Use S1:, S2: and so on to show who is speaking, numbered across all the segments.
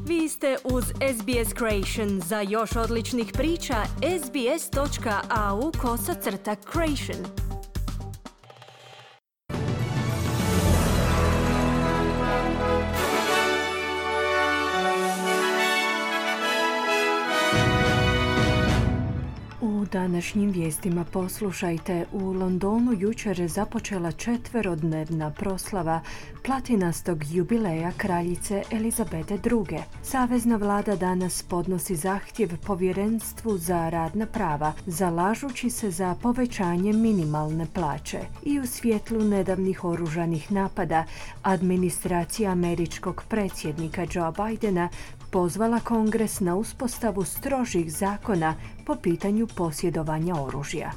S1: Vi ste uz SBS Creation. Za još odličnih priča, sbs.au/creation. U današnjim vijestima poslušajte, u Londonu jučer je započela 4-dnevna proslava platinastog jubileja kraljice Elizabete II. Savezna vlada danas podnosi zahtjev povjerenstvu za radna prava, zalažući se za povećanje minimalne plaće. I u svjetlu nedavnih oružanih napada, administracija američkog predsjednika Joe Bidena pozvala Kongres na uspostavu strožih zakona po pitanju posjedovanja oružja.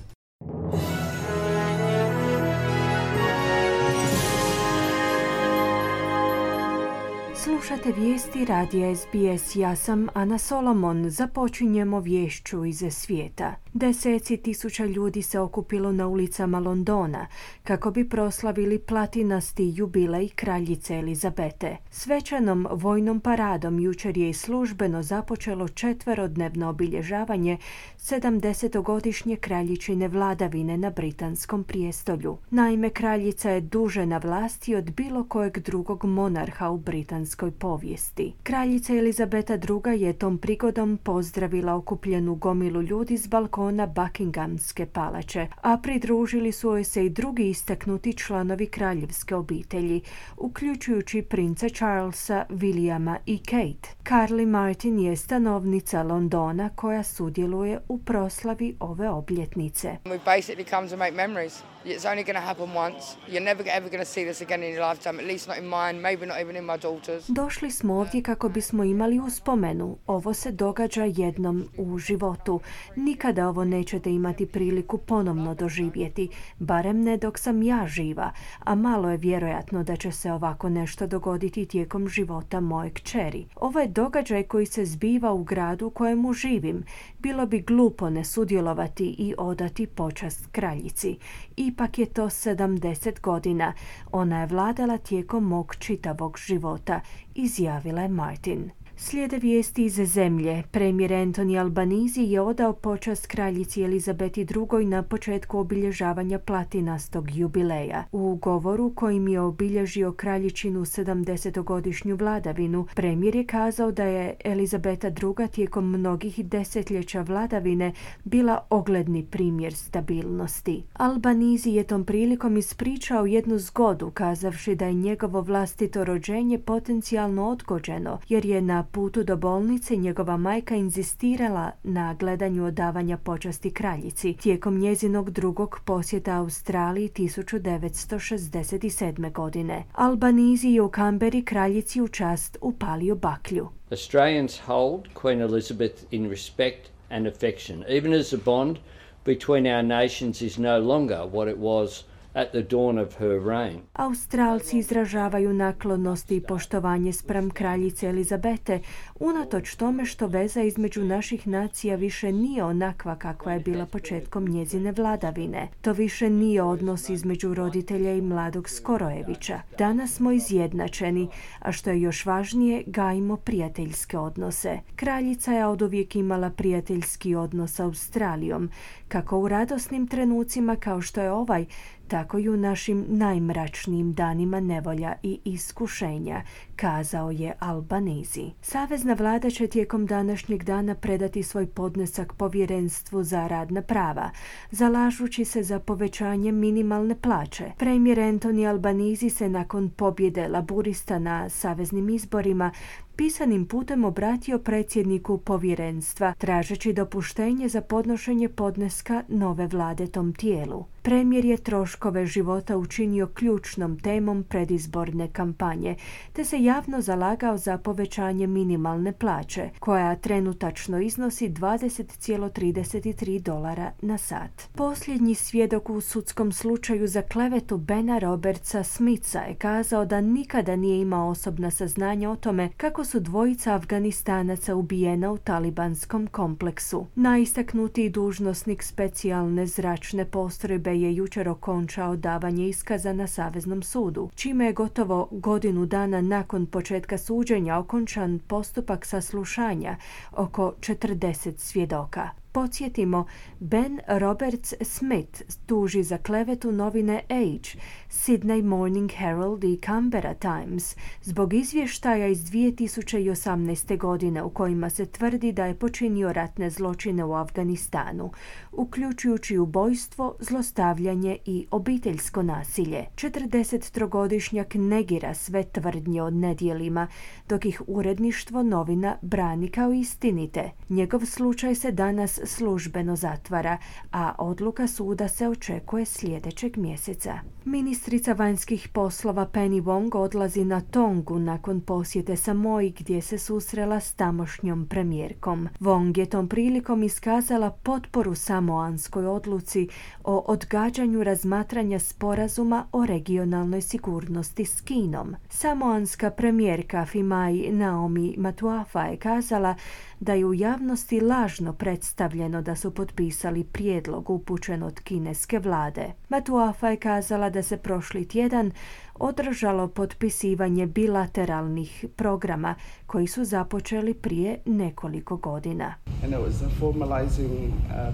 S1: Slušate vijesti radija SBS. Ja sam Ana Solomon. Započinjemo viješću iz svijeta. Deseci tisuća ljudi se okupilo na ulicama Londona kako bi proslavili platinasti jubilej kraljice Elizabete. Svečanom vojnom paradom jučer je službeno započelo 4-dnevno obilježavanje 70-godišnje kraljičine vladavine na britanskom prijestolju. Naime, kraljica je duže na vlasti od bilo kojeg drugog monarha u britanskoj povijesti. Kraljica Elizabeta II. Je tom prigodom pozdravila okupljenu gomilu ljudi s balkona Buckinghamske palače, a pridružili su joj se i drugi istaknuti članovi kraljevske obitelji, uključujući princa Charlesa, Williama i Kate. Carly Martin je stanovnica Londona koja sudjeluje u proslavi ove obljetnice.
S2: We basically come to make memories. It's only going to happen once. You're never ever going to see this again in your lifetime, at least not in mine, maybe not even in my daughter's.
S1: Došli smo ovdje kako bismo imali uspomenu. Ovo se događa jednom u životu. Nikada ovo nećete imati priliku ponovno doživjeti, barem ne dok sam ja živa, a malo je vjerojatno da će se ovako nešto dogoditi tijekom života moje kćeri. Ovo je događaj koji se zbiva u gradu u kojemu živim. Bilo bi glupo ne sudjelovati i odati počast kraljici. Ipak je to 70 godina. Ona je vladala tijekom mog čitavog života, izjavila je Martin. Slijede vijesti iz zemlje. Premijer Anthony Albanese je odao počast kraljici Elizabeti II. Na početku obilježavanja platinastog jubileja. U govoru kojim je obilježio kraljičinu 70-godišnju vladavinu, premijer je kazao da je Elizabeta II. Tijekom mnogih desetljeća vladavine bila ogledni primjer stabilnosti. Albanese je tom prilikom ispričao jednu zgodu, kazavši da je njegovo vlastito rođenje potencijalno odgođeno, jer je na putu do bolnice njegova majka inzistirala na gledanju odavanja počasti kraljici tijekom njezinog drugog posjeta Australiji 1967. godine. Albanese je u Kamberi kraljici u čast upalio baklju.
S3: Australians hold Queen Elizabeth in respect and affection, even as the bond between our nations is no longer what it was at the dawn of her reign.
S1: Australci izražavaju naklonost i poštovanje spram kraljice Elizabete, unatoč tome što veza između naših nacija više nije onakva kakva je bila početkom njezine vladavine. To više nije odnos između roditelja i mladog Skorojevića. Danas smo izjednačeni, a što je još važnije, gajimo prijateljske odnose. Kraljica je oduvijek imala prijateljski odnos s Australijom, kako u radosnim trenucima kao što je ovaj, tako i u našim najmračnijim danima nevolja i iskušenja, kazao je Albanese. Savezna vlada će tijekom današnjeg dana predati svoj podnesak povjerenstvu za radna prava, zalažući se za povećanje minimalne plaće. Premijer Anthony Albanese se nakon pobjede laburista na saveznim izborima pisanim putem obratio predsjedniku povjerenstva, tražeći dopuštenje za podnošenje podneska nove vlade tom tijelu. Premijer je troškove života učinio ključnom temom predizborne kampanje, te se javno zalagao za povećanje minimalne plaće, koja trenutačno iznosi $20,33 na sat. Posljednji svjedok u sudskom slučaju za klevetu Bena Robertsa Smitha je kazao da nikada nije imao osobna saznanja o tome kako su dvojica Afganistanaca ubijena u talibanskom kompleksu. Najistaknutiji dužnosnik specijalne zračne postrojbe je jučer okončao davanje iskaza na Saveznom sudu, čime je gotovo godinu dana nakon početka suđenja okončan postupak saslušanja oko 40 svjedoka. Podsjetimo, Ben Roberts Smith tuži za klevetu novine Age, Sydney Morning Herald i Canberra Times zbog izvještaja iz 2018. godine u kojima se tvrdi da je počinio ratne zločine u Afganistanu, uključujući ubojstvo, zlostavljanje i obiteljsko nasilje. 43-godišnjak negira sve tvrdnje o nedjelima, dok ih uredništvo novina brani kao istinite. Njegov slučaj se danas službeno zatvara, a odluka suda se očekuje sljedećeg mjeseca. Ministrica vanjskih poslova Penny Wong odlazi na Tongu nakon posjete Samoji gdje se susrela s tamošnjom premijerkom. Wong je tom prilikom iskazala potporu samoanskoj odluci o odgađanju razmatranja sporazuma o regionalnoj sigurnosti s Kinom. Samoanska premijerka Fimai Naomi Matuafa je kazala da je u javnosti lažno predstavljeno da su potpisali prijedlog upućen od kineske vlade. Matuafa je kazala da se prošli tjedan održalo potpisivanje bilateralnih programa koji su započeli prije nekoliko godina.
S4: And it was a formalizing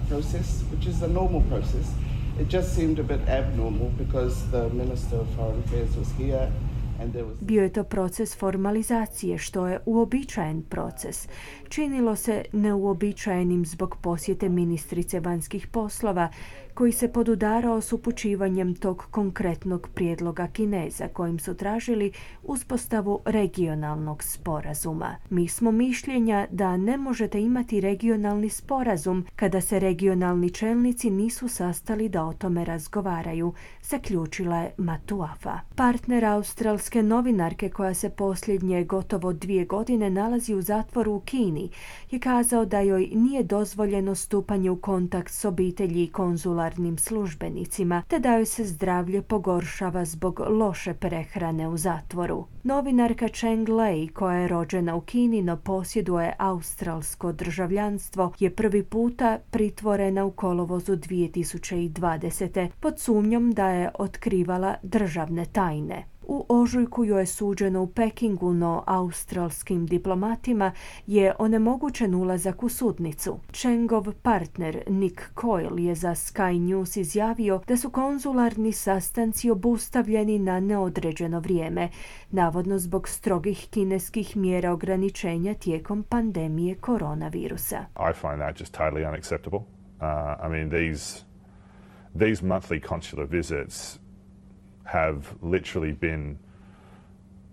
S4: process, which is a normal process. It just seemed a bit abnormal because the Minister of Foreign Affairs was here.
S1: Bio je to proces formalizacije, što je uobičajen proces. Činilo se neuobičajenim zbog posjete ministrice vanjskih poslova, koji se podudarao s upućivanjem tog konkretnog prijedloga Kineza, kojim su tražili uspostavu regionalnog sporazuma. Mi smo mišljenja da ne možete imati regionalni sporazum kada se regionalni čelnici nisu sastali da o tome razgovaraju, zaključila je Matuafa. Partner australske novinarke, koja se posljednje gotovo 2 godine nalazi u zatvoru u Kini, je kazao da joj nije dozvoljeno stupanje u kontakt s obitelji i konzularnim službenicima, te da joj se zdravlje pogoršava zbog loše prehrane u zatvoru. Novinarka Cheng Lei, koja je rođena u Kini no posjeduje australsko državljanstvo, je prvi puta pritvorena u kolovozu 2020. pod sumnjom da je otkrivala državne tajne. U ožujku joj je suđeno u Pekingu, no australskim diplomatima je onemogućen ulazak u sudnicu. Chengov partner Nick Coyle je za Sky News izjavio da su konzularni sastanci obustavljeni na neodređeno vrijeme, navodno zbog strogih kineskih mjera ograničenja tijekom pandemije koronavirusa.
S5: I find that just totally unacceptable. I mean, these monthly consular visits have literally been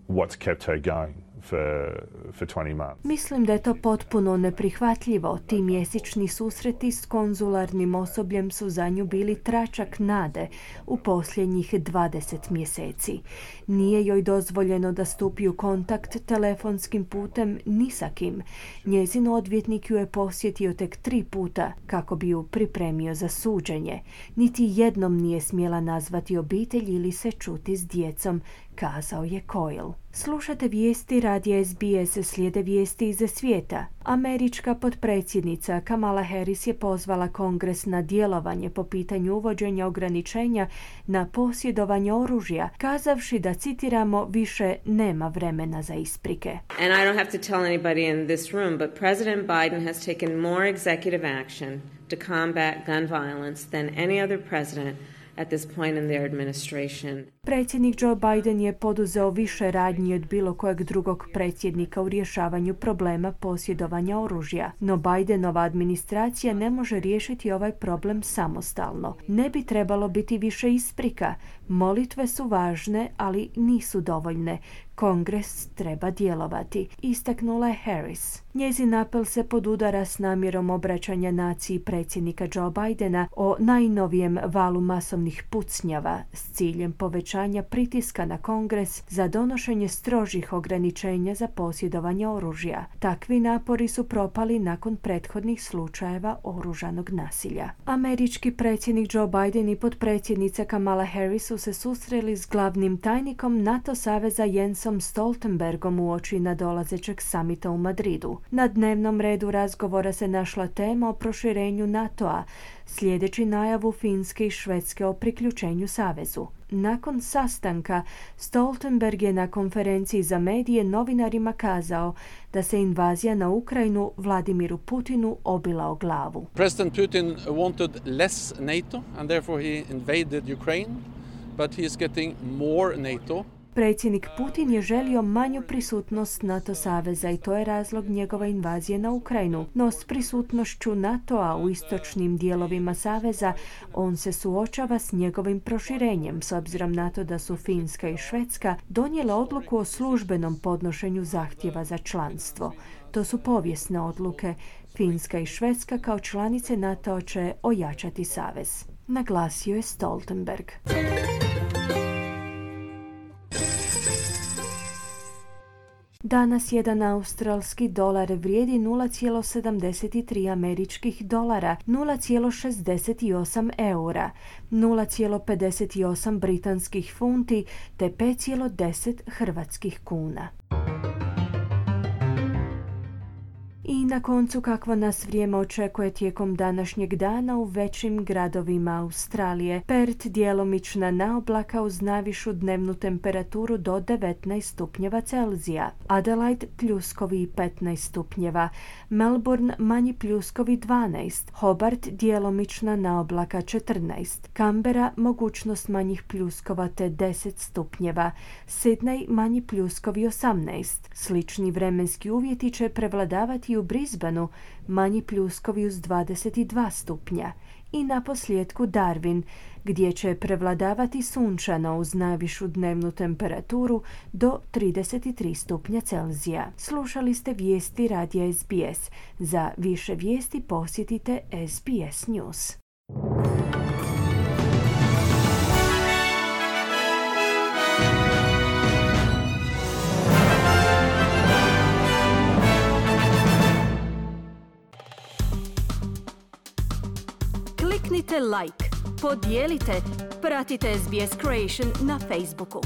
S5: what's kept her going for 20 months.
S1: Mislim da je to potpuno neprihvatljivo. Ti mjesečni susreti s konzularnim osobljem su za nju bili tračak nade u posljednjih 20 mjeseci. Nije joj dozvoljeno da stupi u kontakt telefonskim putem ni sa kim. Njezin odvjetnik ju je posjetio tek 3 puta kako bi ju pripremio za suđenje. Niti jednom nije smjela nazvati obitelj ili se čuti s djecom, kazao je Coyle. Slušate vijesti radija SBS, slijede vijesti iz svijeta. Američka potpredsjednica Kamala Harris je pozvala Kongres na djelovanje po pitanju uvođenja ograničenja na posjedovanje oružja, kazavši da, citiramo, više nema vremena za isprike.
S6: And I don't have to tell anybody in this room, but President Biden has taken more executive action to combat gun violence than any other president at this point in their administration.
S1: Predsjednik Joe Biden je poduzeo više radnji od bilo kojeg drugog predsjednika u rješavanju problema posjedovanja oružja, no Bidenova administracija ne može riješiti ovaj problem samostalno. Ne bi trebalo biti više isprika. Molitve su važne, ali nisu dovoljne. Kongres treba djelovati, istaknula je Harris. Njezin apel se podudara s namjerom obraćanja naciji predsjednika Joe Bidena o najnovijem valu masovnih pucnjava s ciljem povećanja pritiska na Kongres za donošenje strožih ograničenja za posjedovanje oružja. Takvi napori su propali nakon prethodnih slučajeva oružanog nasilja. Američki predsjednik Joe Biden i potpredsjednica Kamala Harris su se susreli s glavnim tajnikom NATO saveza Jensom Jensom Stoltenbergom uoči nadolazećeg samita u Madridu. Na dnevnom redu razgovora se našla tema o proširenju NATO-a, sljedeći najavu Finske i Švedske o priključenju savezu. Nakon sastanka, Stoltenberg je na konferenciji za medije novinarima kazao da se invazija na Ukrajinu Vladimiru Putinu obila o glavu.
S7: President Putin wanted less NATO and therefore he invaded Ukraine, but he is getting more NATO.
S1: Predsjednik Putin je želio manju prisutnost NATO saveza i to je razlog njegove invazije na Ukrajinu. No s prisutnošću NATO-a u istočnim dijelovima saveza on se suočava s njegovim proširenjem, s obzirom na to da su Finska i Švedska donijele odluku o službenom podnošenju zahtjeva za članstvo. To su povijesne odluke. Finska i Švedska kao članice NATO će ojačati savez, naglasio je Stoltenberg. Danas jedan australski dolar vrijedi 0,73 američkih dolara, 0,68 eura, 0,58 britanskih funti te 5,10 hrvatskih kuna. I na koncu kakvo nas vrijeme očekuje tijekom današnjeg dana u većim gradovima Australije. Perth djelomična naoblaka uz najvišu dnevnu temperaturu do 19 stupnjeva Celzija. Adelaide pljuskovi i 15 stupnjeva. Melbourne manji pljuskovi 12. Hobart djelomična naoblaka 14. Canberra mogućnost manjih pljuskova te 10 stupnjeva. Sydney manji pljuskovi 18. Slični vremenski uvjeti će prevladavati u Brisbaneu, manji pljuskovi uz 22 stupnja. I naposljetku Darwin, gdje će prevladavati sunčano uz najvišu dnevnu temperaturu do 33 stupnja Celzija. Slušali ste vijesti radija SBS. Za više vijesti posjetite SBS News. Kliknite like, podijelite, pratite SBS Creation na Facebooku.